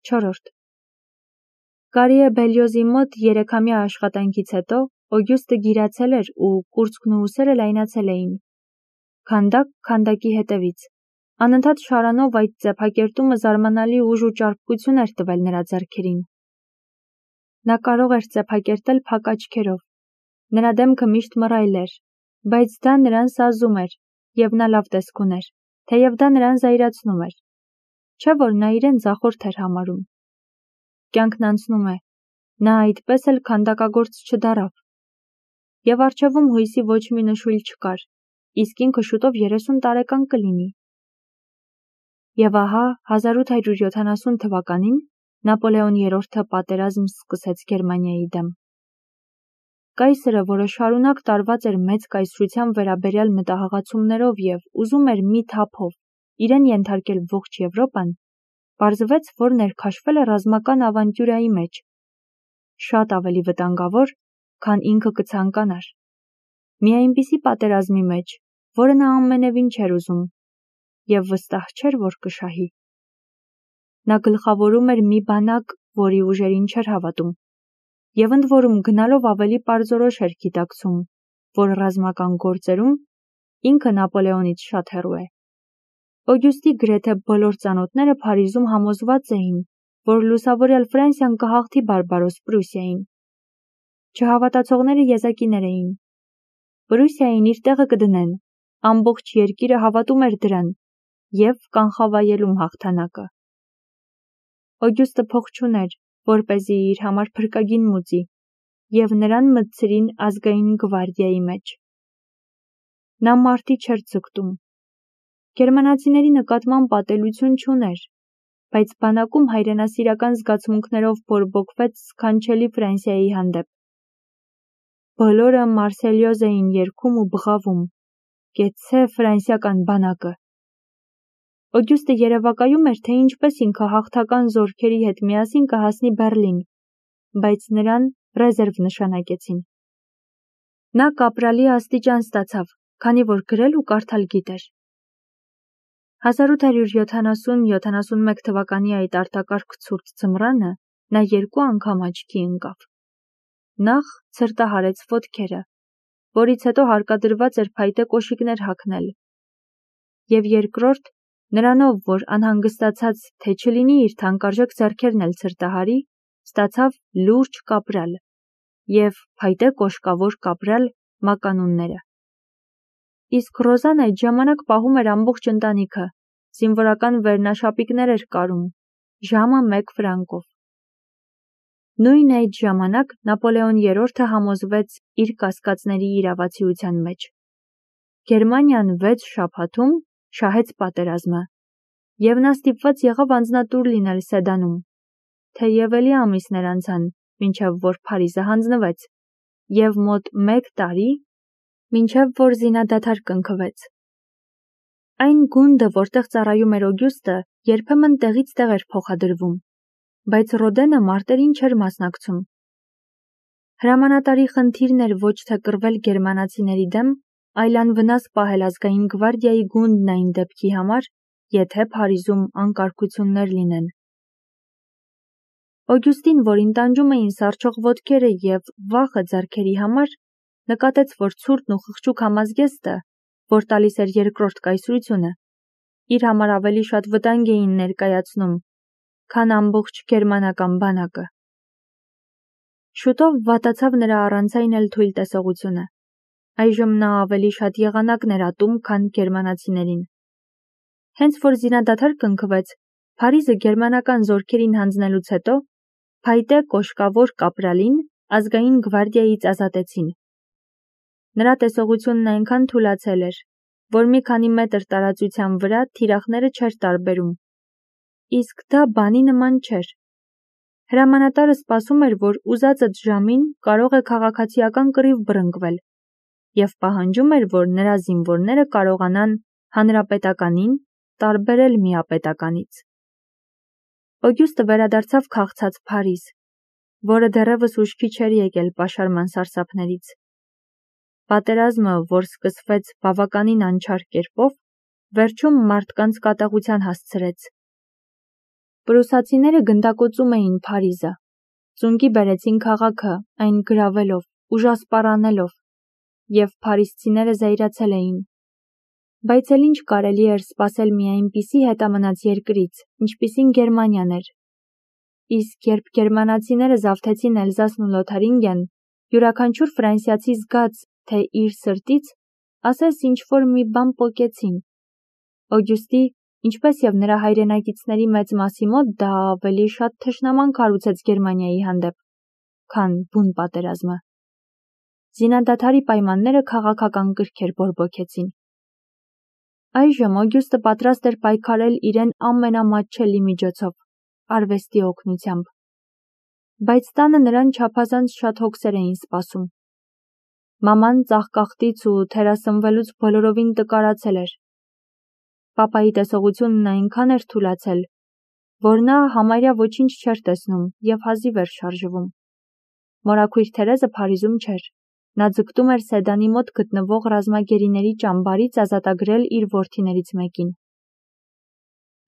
4. Կարիե Բելյոզի մոտ 3-ամյա աշխատանքից հետո Օգյուստը գիրացել էր ու կուրծքն ու ուսերը լայնացել էին։ Քանդակ քանդակի հետևից։ Անընդհատ շարանով այդ ծեփակերտումը զարմանալի ուժ ու ճարպկություն էր տվել նրա ձեռքերին։ Նա կարող էր ծեփակերտել փակ աչքերով։ Նրա դեմքը միշտ մռայլ էր, բայց դա նրան սազում էր, և նա լավ տեսք ուներ, թեև դա նրան զայրացնում էր։ Չէ՞ որ նա իրեն ձախորդ էր համարում։ Կյանքն անցնում է, նա այդպես էլ քանդակագործ չդառավ։ Եվ առջևում հույսի ոչ մի նշույլ չկար, իսկ ինքը շուտով 30 տարեկան կլինի։ Եվ ահա 1870 թվականին Նապոլեոն III-ը պատերազմ սկսեց Գերմանիայի դեմ։ Կայսրը, որը շարունակ տարված էր մեծ կայսրության վերաբերյալ մտահղացումներով և ուզում էր մի թափով իրեն ենթարկել ողջ Եվրոպան, պարզվեց, որ ներքաշվել է ռազմական ավանտյուրայի մեջ, շատ ավելի վտանգավոր, քան ինքը կցանկանար։ Մի այնպիսի պատերազմի մեջ, որը նա ամենևին չէր ուզում, և վստահ չէր, որ կշահի։ Նա գլխավորում էր մի բանակ, որի ուժերին չէր հավատում, և ընդ որում գնալով ավելի պարզորոշ էր գիտակցում, որ ռազմական գործերում ինքը Նապոլեոնից շատ հեռու է։ Օգյուստի գրեթե բոլոր ծանոթները Փարիզում համոզված էին, որ լուսավորյալ Ֆրանսիան կհաղթի բարբարոս Պրուսիային։ Չհավատացողները եզակիներ էին։ Պրուսիային իր տեղը կդնեն, ամբողջ երկիրը հավատում էր դրան և կանխավայելում հաղթանակը։ Օգյուստը փող չուներ, որպեսզի իր համար փրկագին մուծի, և նրան մտցրին ազգային գվարդիայի մեջ։ Նա մարտի չէր ձգտում։ Գերմանացիների նկատմամբ ատելություն չուներ, բայց բանակում հայրենասիրական զգացմունքներով բորբոքվեց սքանչելի Ֆրանսիայի հանդեպ։ Բոլորը Մարսելյոզ էին երգում ու բղավում. «Կեցցե ֆրանսիական բանակը»։ Օգյուստը երևակայում էր, թե ինչպես ինքը հաղթական զորքերի հետ միասին կհասնի Բեռլին, բայց նրան ռեզերվ նշանակեցին։ Նա կապրալի աստիճան ստացավ, քանի որ գրել ու կարդալ գիտեր։ 1870-71 թվականի այդ արտակարգ ցուրտ ձմռանը նա 2 անգամ աչքի ընկավ։ Նախ ցրտահարեց ոտքերը, որից հետո հարկադրված էր փայտե կոշիկներ հագնել, և երկրորդ, նրանով, որ անհանգստացած, թե չլինի իր թանկարժեք ձեռքերն էլ ցրտահարի, ստացավ լուրջ կապրալ և փայտե կոշկավոր կապրալ մականունները։ Իսկ Ռոզան այդ ժամանակ պահում էր ամբողջ ընտանիքը, զինվորական վերնաշապիկներ էր կարում, ժամը 1 ֆրանկով։ Նույն այդ ժամանակ Նապոլեոն III-ը համոզվեց իր կասկածների իրավացիության մեջ։ Գերմանիան 6 շաբաթում շահեց պատերազմը, և նա ստիպված եղավ անձնատուր լինել Սեդանում, թեև էլի ամիսներ անցան, մինչև որ Փարիզը հանձնվեց, և մոտ 1 տարի, մինչև որ զինադադար կնքվեց։ Այն գունդը, որտեղ ծառայում էր Օգյուստը, երբեմն տեղից տեղ էր փոխադրվում, բայց Ռոդենը մարտերին չէր մասնակցում։ Հրամանատարի խնդիրն էր ոչ թե կռվել գերմանացիների դեմ, այլ անվնաս պահել ազգային գվարդիայի գունդն այն դեպքի համար, եթե Փարիզում անկարգություններ լինեն։ Օգյուստին, որին տանջում էին սառչող ոտքերը և վախը ձեռքերի համար, նկատեց, որ ցուրտն ու խղճուկ համազգեստը, որ տալիս էր երկրորդ կայսրությունը, իր համար ավելի շատ վտանգ էին ներկայացնում, քան ամբողջ գերմանական բանակը։ Շուտով վատացավ նրա առանցայն էլ թույլ տեսողությունը։ Այժմ նա ավելի շատ եղանակ էր ատում, քան գերմանացիներին։ Հենց որ զինադադար կնքվեց, Փարիզը գերմանական զորքերին հանձնելուց հետո, փայտե կոշկավոր կապրալին ազգային գվարդիայից ազատեցին։ Նրա տեսողությունն այնքան թուլացել էր, որ մի քանի մետր տարածության վրա թիրախները չէր տարբերում, իսկ դա բանի նման չէր։ Հրամանատարը սպասում էր, որ ուզածդ ժամին կարող է քաղաքացիական կռիվ բռնկվել, և պահանջում էր, որ նրա զինվորները կարողանան հանրապետականին տարբերել միապետականից։ Օգյուստը վերադարձավ քաղցած Փարիզ, որը դեռևս ուշքի չէր եկել պաշարման սարսափներից։ Պատերազմը, որ սկսվեց բավականին անչար կերպով, վերջում մարդկանց կատաղության հասցրեց։ Պրուսացիները գնդակոծում էին Փարիզը, ծունկի բերեցին քաղաքը, այն գրավելով, ուժասպառանելով, և փարիզցիները զայրացել էին։ Բայց էլ ինչ կարելի էր սպասել մի այնպիսի հետամնաց երկրից, ինչպիսին Գերմանիան էր։ Իսկ երբ գերմանացիները զավթեցին Էլզասն ու Լոթարինգիան, յուրաքանչյուր ֆրանսիացի զգաց, թե իր սրտից, ասես ինչ-որ մի բան պոկեցին։ Օգյուստի, ինչպես և նրա հայրենակիցների մեծ մասի մոտ, դա ավելի շատ թշնամանք հարուցեց Գերմանիայի հանդեպ, քան բուն պատերազմը։ Զինադադարի պայմանները քաղաքական կրքեր բորբոքեցին։ Այժմ Օգյուստը պատրաստ էր պայքարել իրեն ամենամատչելի միջոցով՝ արվեստի օգնությամբ։ Բայց տանը նրան չափազանց շատ հոգսեր էին սպասում։ Մաման ծաղկաղտից ու թերասնվելուց բոլորովին տկարացել էր։ Պապայի տեսողությունն այնքան էր թուլացել, որ նա համարյա ոչինչ չէր տեսնում և հազիվ էր շարժվում։ Մորաքույր Թերեզը Փարիզում չէր։ Նա ձգտում էր Սեդանի մոտ գտնվող ռազմագերիների ճամբարից ազատագրել իր որդիներից մեկին։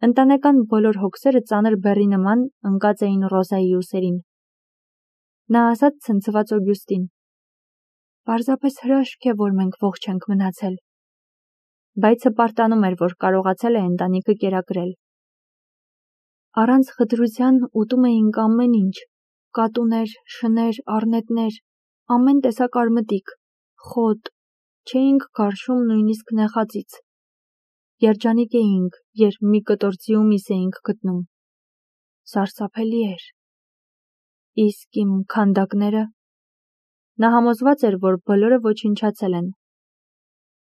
Ընտանեկան բոլոր հոգսերը ծանր բեռի նման ընկած էին Ռոզայի ուսերին։ Նա ասաց ցնցված Օգյուստին. «Պարզապես հրաշք է, որ մենք ողջ ենք մնացել»։ Բայց հպարտանում էր, որ կարողացել է ընտանիքը կերակրել։ Առանց խտրության ուտում էինք ամեն ինչ՝ կատուներ, շներ, առնետներ, ամեն տեսակ արմտիկ, խոտ, չէինք քարշում նույնիսկ նեխածից։ Երջանիկ էինք, երբ մի կտոր ձիու միս էինք գտնում։ Սարսափելի էր։ Իսկ իմ քանդակները։ Նա համոզված էր, որ բոլորը ոչնչացել են։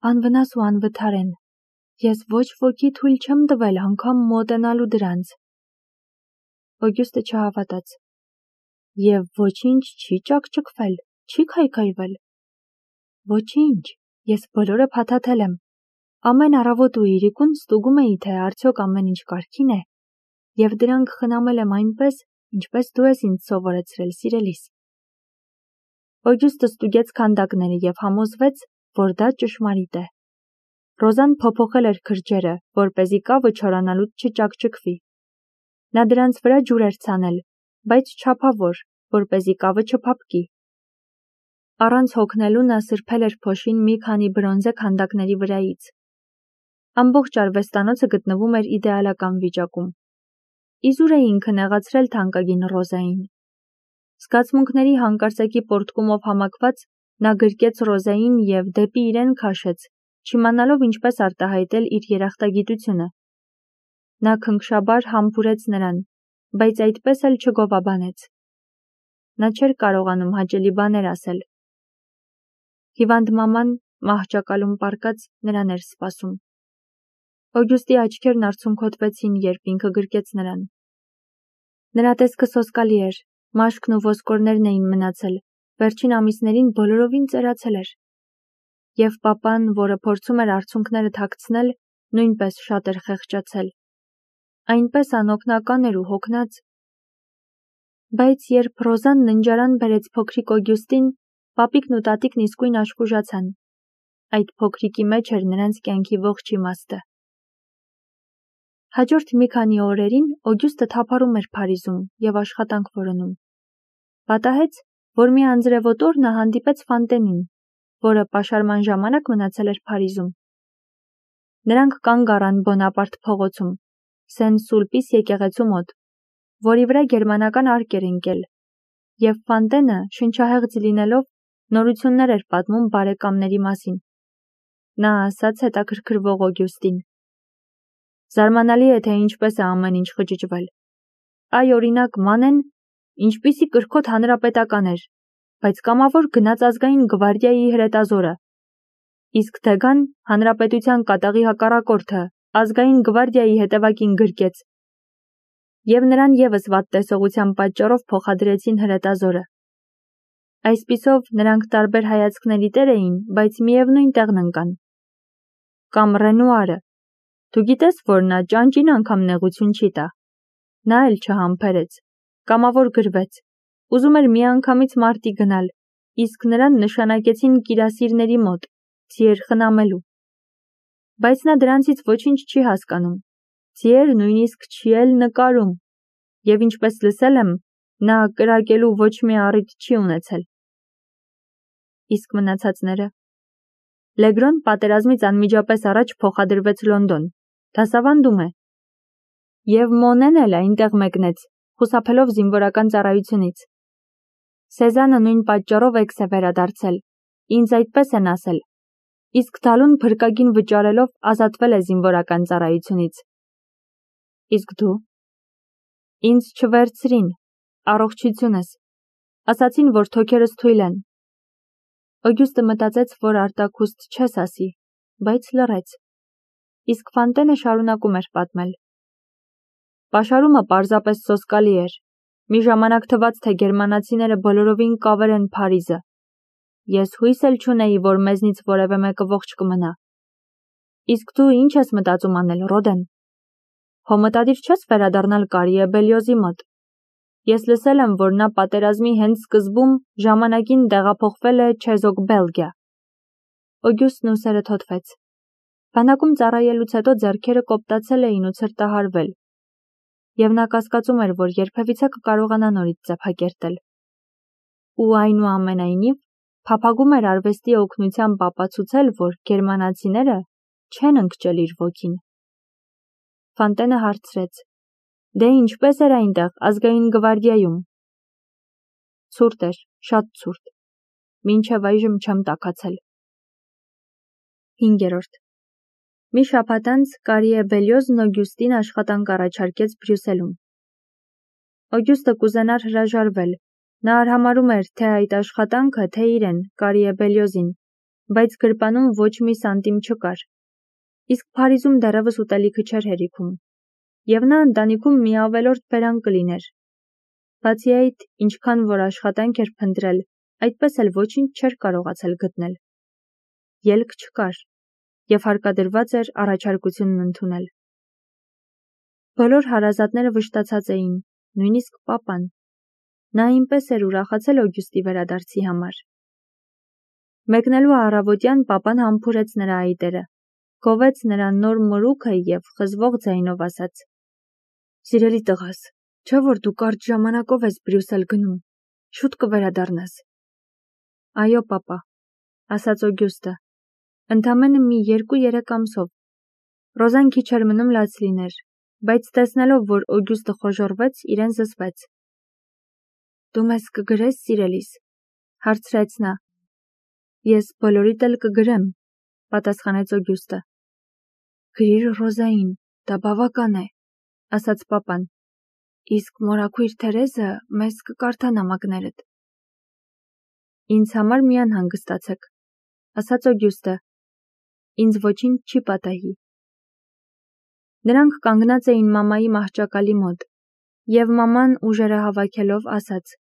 Անվնաս ու անվթար են։ Ես ոչ ոքի թույլ չեմ տվել անգամ մոտենալու դրանց։ Օգյուստը չհավատաց։ Եվ ոչինչ չի ճաքճքվել, չի քայքայվել։ Ոչինչ, ես բոլորը փաթաթել եմ։ Ամեն առավոտ ու իրիկուն ստուգում էի, թե արդյոք ամեն ինչ կարգին է, և դրանք խնամել եմ այնպես, ինչպես դու ես ինձ սովորեցրել, սիրելիս։ Օգյուստը ստուգեց քանդակները և համոզվեց, որ դա ճշմարիտ է։ Ռոզան փոփոխել էր քրջերը, որպեսզի կավը չորանալուց չճաքճքվի։ Նա դրանց վրա ջուր էր ցանել, բայց չափավոր, որպեսզի կավը չփափկի։ Առանց հոգնելու նա սրբել էր փոշին մի քանի բրոնզե քանդակների վրայից։ Ամբողջ արվեստանոցը գտնվում էր իդեալական վիճակում։ Իզուր է ինքը նեղացրել թանկագին Ռոզային։ Զգացմունքների հանկարծակի պոռթկումով համակված նա գրկեց Ռոզային և դեպի իրեն քաշեց, չիմանալով ինչպես արտահայտել իր երախտագիտությունը։ Նա քնքշաբար համբուրեց նրան, բայց այդպես էլ չգովաբանեց։ Նա չէր կարողանում հաճելի բաներ ասել։ Հիվանդ մաման, մահճակալում պառկած, նրան էր սպասում։ Օգյուստի աչքերն արցունքոտվեցին, երբ ինքը գրկեց նրան։ Նրա տեսքը սոսկալի էր, մաշկն ու ոսկորներն էին մնացել, վերջին ամիսներին բոլորովին ծերացել էր։ Եվ պապան, որը փորձում էր արցունքները թաքցնել, նույնպես շատ էր խեղճացել։ Այնպես անօգնական էր ու հոգնած։ Բայց երբ Ռոզան ննջարան բերեց փոքրիկ Օգյուստին, պապիկն ու տատիկն իսկույն աշխուժացան։ Այդ փոքրիկի մեջ էր նրանց կյանքի ողջ իմաստը։ Հաջորդ մի քանի օրերին Օգյուստը թափառում էր Փարիզում և աշխատանք որոնում։ Պատահեց, որ մի անձրևոտ օր նա հանդիպեց Ֆանտենին, որը պաշարման ժամանակ մնացել էր Փարիզում։ Նրանք կանգ առան Բոնապարտ փողոցում, Սեն-Սուլպիս եկեղեցու մոտ, որի վրա գերմանական արկ էր ընկել, և Ֆանտենը, շնչահեղձ լինելով, նորություններ էր պատմում բարեկամների մասին։ Նա ասաց հետաքրքրվող Օգյուստին. «Զարմանալի է, թե ինչպես է ամեն ինչ խճճվել։ Այ օրինակ Մանեն, ինչպիսի կրքոտ հանրապետական էր, բայց կամավոր գնաց ազգային գվարդիայի հրետազորը։ Իսկ Դեգան, հանրապետության կատաղի հակառակորդը, ազգային գվարդիայի հետևակին գրկեց։ Եվ նրան ևս վատ տեսողության պատճառով փոխադրեցին հրետազորը։ Այսպիսով նրանք տարբեր հայացքների տեր էին, բայց միևնույն տեղն ընկան։ Կամ Ռենուարը, դու գիտես, որ նա ճանճին անգամ նեղություն չի տա։ Նա էլ չհամբերեց, կամավոր գրվեց, ուզում էր միանգամից մարտի գնալ, իսկ նրան նշանակեցին կիրասիրների մոտ, ձիեր խնամելու։ Բայց նա դրանցից ոչինչ չի հասկանում, ձիեր նույնիսկ չի էլ նկարում, Եվ ինչպես լսել եմ, նա կրակելու ոչ մի առիթ չի ունեցել։ Իսկ մնացածները։ Լեգրոն պատերազմից անմիջապես առաջ փոխադրվեց Լոնդոն, դասավանդում է։ Եվ Մոնեն էլ այնտեղ մեկնեց, խուսափելով զինվորական ծառայությունից։ Սեզանը նույն պատճառով էքս է վերադարձել, ինձ այդպես են ասել, իսկ Դալուն փրկագին վճարելով ազատվել է զինվորական ծառայությունից։ Իսկ դու։ Ինձ չվերցրին, առողջությունս, ասացին, որ թոքերս թույլ են։ Օգյուստը մտածեց, որ արտաքուստ չես ասի, բայց լռեց։ Իսկ Ֆանտենը շարունակում էր պատմել։ Պաշարումը պարզապես սոսկալի էր։ Մի ժամանակ թվաց, թե գերմանացիները բոլորովին կավերեն Փարիզը։ Ես հույս էլ չունեի, որ մեզնից որևէ մեկը ողջ կմնա։ Իսկ դու ինչ ես մտածում անել, Ռոդեն։ Հո մտադիր չես վերադառնալ Կարիե Բելիոզի մոտ։ Ես լսել եմ, որ նա պատերազմի հենց սկզբում ժամանակին տեղափոխվել է Չեզոք Բելգիա։ Օգյուստն ուսերը թոթվեց։ Բանակում ծառայելուց հետո ձեռքերը կոպտացել էին ու ցրտահարվել։ Եվ նա կասկածում էր, որ երբևիցե կկարողանա նորից ծափակերտել։ Ու այնուամենայնիվ, փափագում էր արվեստի օգնությամբ ապացուցել, որ գերմանացիները չեն ընկճել իր ոգին։ Ֆանտենը հարցրեց. Դե ինչպես էր այնտեղ ազգային գվարդիայում։ Ցուրտ էր, շատ ցուրտ։ Մինչև այժմ չեմ տաքացել։ 5. Մի շաբաթ անց Կարիե Բելիոզն Օգյուստին աշխատանք առաջարկեց Բրյուսելում։ Օգյուստը կուզենար հրաժարվել։ Նա արհամարհում էր թե այդ աշխատանքը, թե իրեն, Կարիե Բելիոզին, բայց գրպանում ոչ մի սանտիմ չկար։ Իսկ Փարիզում դեռևս ուտելիքը չէր հերիքում։ Եվ նա ընտանիքում մի ավելորդ բերան կլիներ։ Բացի այդ, ինչքան որ աշխատանք էր փնտրել, այդպես էլ ոչինչ չէր կարողացել գտնել։ Ելք չկար, եւ հարկադրված էր առաջարկությունն ընդունել։ Բոլոր հարազատները վշտացած էին, նույնիսկ պապան։ Նա այնպես էր ուրախացել Օգյուստի վերադարձի համար։ Մեկնելու առավոտյան պապան համբուրեց նրա այտերը, գովեց նրան նոր մորուքը եւ խզվող ձայնով ասաց. Սիրելի տղաս, չէ՞ որ դու կարճ ժամանակով ես Բրյուսել գնում, շուտ կվերադառնաս։ Այո, պապա, ասաց Օգյուստը, ընդամենը մի 2-3 ամսով։ Ռոզան քիչ էր մնում լաց լիներ, բայց տեսնելով, որ Օգյուստը խոժոռվեց, իրեն զսպեց։ Դու մեզ կգրես, սիրելիս, հարցրեց նա։ Ես բոլորիդ էլ կգրեմ, պատասխանեց Օգյուստը։ Գրիր Ռոզային, դա բավական է, ասաց պապան։ Իսկ մորաքույր Թերեզը մեզ կկարդա նամակներդ։ Ինձ համար մի անհանգստացեք, ասաց Օգյուստը։ Ինձ ոչինչ չի պատահի։ Նրանք կանգնած էին մամայի մահճակալի մոտ, եւ մաման ուժերը հավաքելով ասաց.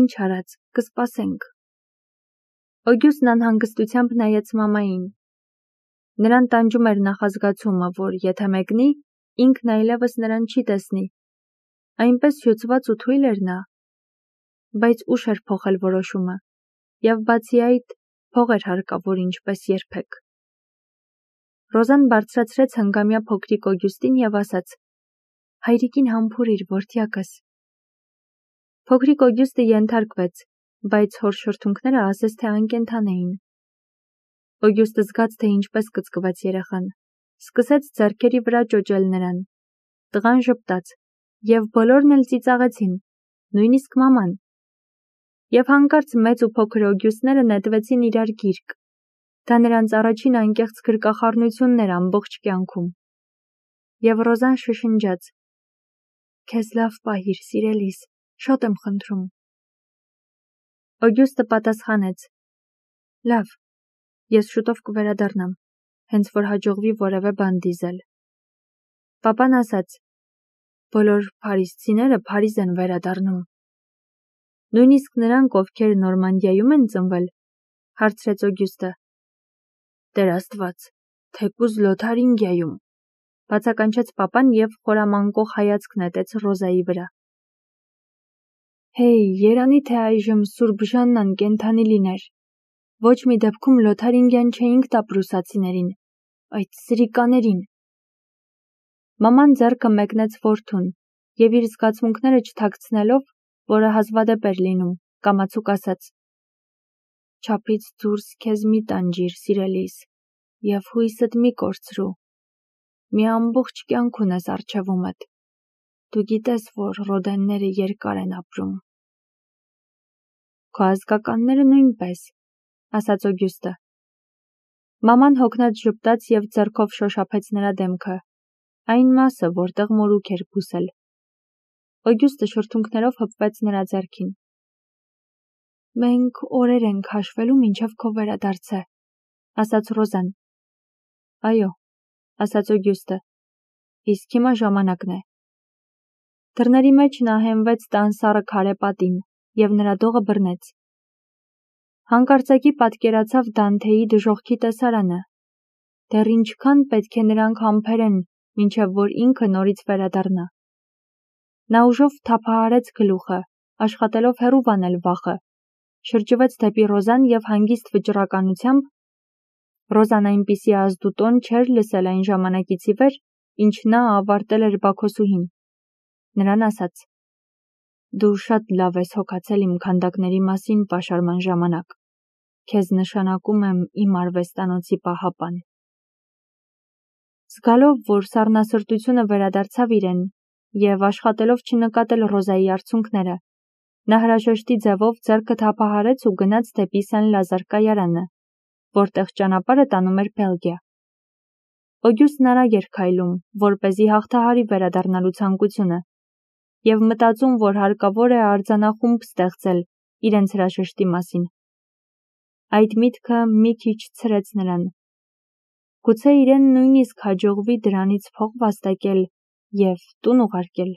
Ինչ արած, կսպասենք։ Օգյուստն անհանգստությամբ նայեց մամային։ Նրան տանջում էր նախազգացումը, որ եթե մեկնի, ինքն այլևս նրան չի տեսնի։ Այնպես հյուծված ու թույլ էր նա։ Բայց ուշ էր փոխել որոշումը, եւ բացի այդ, փող էր հարկավոր ինչպես երբեք։ Ռոզան բարձրացրեց հնգամյա փոքրիկ Օգյուստին եւ ասաց. Հայրիկին համբուրիր, որդյակս։ Փոքրիկ Օգյուստը ենթարկվեց, բայց հոր շրթունքները ասես թե անկենդան էին։ Օգյուստը զգաց, թե ինչպես կծկվեց երեխան, սկսեց ձեռքերի վրա ճոճել նրան։ Տղան ժպտաց, եւ բոլորն էլ ծիծաղեցին, նույնիսկ մաման։ Եվ հանկարծ մեծ ու փոքր Օգյուստները նետվեցին իրար գիրկ։ Դա նրանց առաջին անկեղծ գրկախառնությունն էր ամբողջ կյանքում։ Եվ Ռոզան շշնջաց. Քեզ լավ պահիր, սիրելիս, շատ եմ խնդրում։ Օգյուստը պատասխանեց. Լավ, ես շուտով կվերադառնամ, հենց որ հաջողվի որևէ բան դիզել։ Պապան ասաց. Բոլոր փարիզցիները Փարիզ են վերադառնում։ Նույնիսկ նրանք, ովքեր Նորմանդիայում են ծնվել, հարցրեց Օգյուստը։ Տեր Աստված, թեկուզ Լոթարինգիայում, բացականչեց պապան եւ խորամանկող հայացք նետեց Ռոզայի վրա։ Հեյ, երանի թե այժմ Սուրբ Ժաննան կենդանի լիներ։ Ոչ մի դեպքում Լոթարինգյան չէինք տա պրուսացիներին, այդ սրիկաներին։ Մաման ձեռքը մեկնեց որդուն, եւ իր զգացմունքները չթաքցնելով, որը հազվադեպ էր լինում, կամացուկ ասաց. «Չափից դուրս քեզ մի տանջիր, սիրելիս, եւ հույսդ մի կորցրու։ Մի ամբողջ կյանք ունես առջևումդ։ Դու գիտես, որ ռոդենները երկար են ապրում»։ Քո ազգականները նույնպես, ասաց Օգյուստը։ Մաման հոգնած ժպտաց եւ ձեռքով շոշափեց նրա դեմքը, այն մասը, որտեղ մորուք էր բուսել։ Օգյուստը շրթունքներով հպվեց նրա ձեռքին։ «Մենք օրեր ենք հաշվելու մինչև քո վերադարձը», ասաց Ռոզան։ «Այո», ասաց Օգյուստը, «իսկ հիմա ժամանակն է»։ Դռների մեջ նա հենվեց տան սառը քարե պատին եւ նրա դողը բռնեց։ Հանկարծակի պատկերացավ Դանթեի դժոխքի տեսարանը։ Դեռ ինչքան պետք է նրանք համբերեն, մինչև որ ինքը նորից վերադառնա։ Նա ուժով թափահարեց գլուխը, աշխատելով հեռու վանել վախը, շրջվեց դեպի Ռոզան եւ հանգիստ վճռականությամբ Ռոզան այնպիսի ազդուտոն չէր լսել այն ժամանակից ի վեր, ինչ նա ավարտել էր Բաքոսուհին։ Նրան ասաց. «Դու շատ լավ ես հոգացել իմ քանդակների մասին պաշարման ժամանակ։ Քեզ նշանակում եմ իմ արվեստանոցի պահապան»։ Զգալով, որ սառնասրտությունը վերադարձավ իրեն եւ աշխատելով չնկատել Ռոզայի արցունքները, նա հրաժեշտի ձևով ձեռքը թափահարեց ու գնաց դեպի Սեն-Լազար կայարանը, որտեղ ճանապարհը տանում էր Բելգիա։ Օգյուստն արագ էր քայլում, որպեսզի հաղթահարի վերադառնալու ցանկությունը, եւ մտածում, որ հարկավոր է արձանախումբ ստեղծել իրենց հրաժեշտի մասին։ Այդ միտքը մի քիչ ցրեց նրան։ Գուցե իրեն նույնիսկ հաջողվի դրանից փող վաստակել եւ տուն ուղարկել։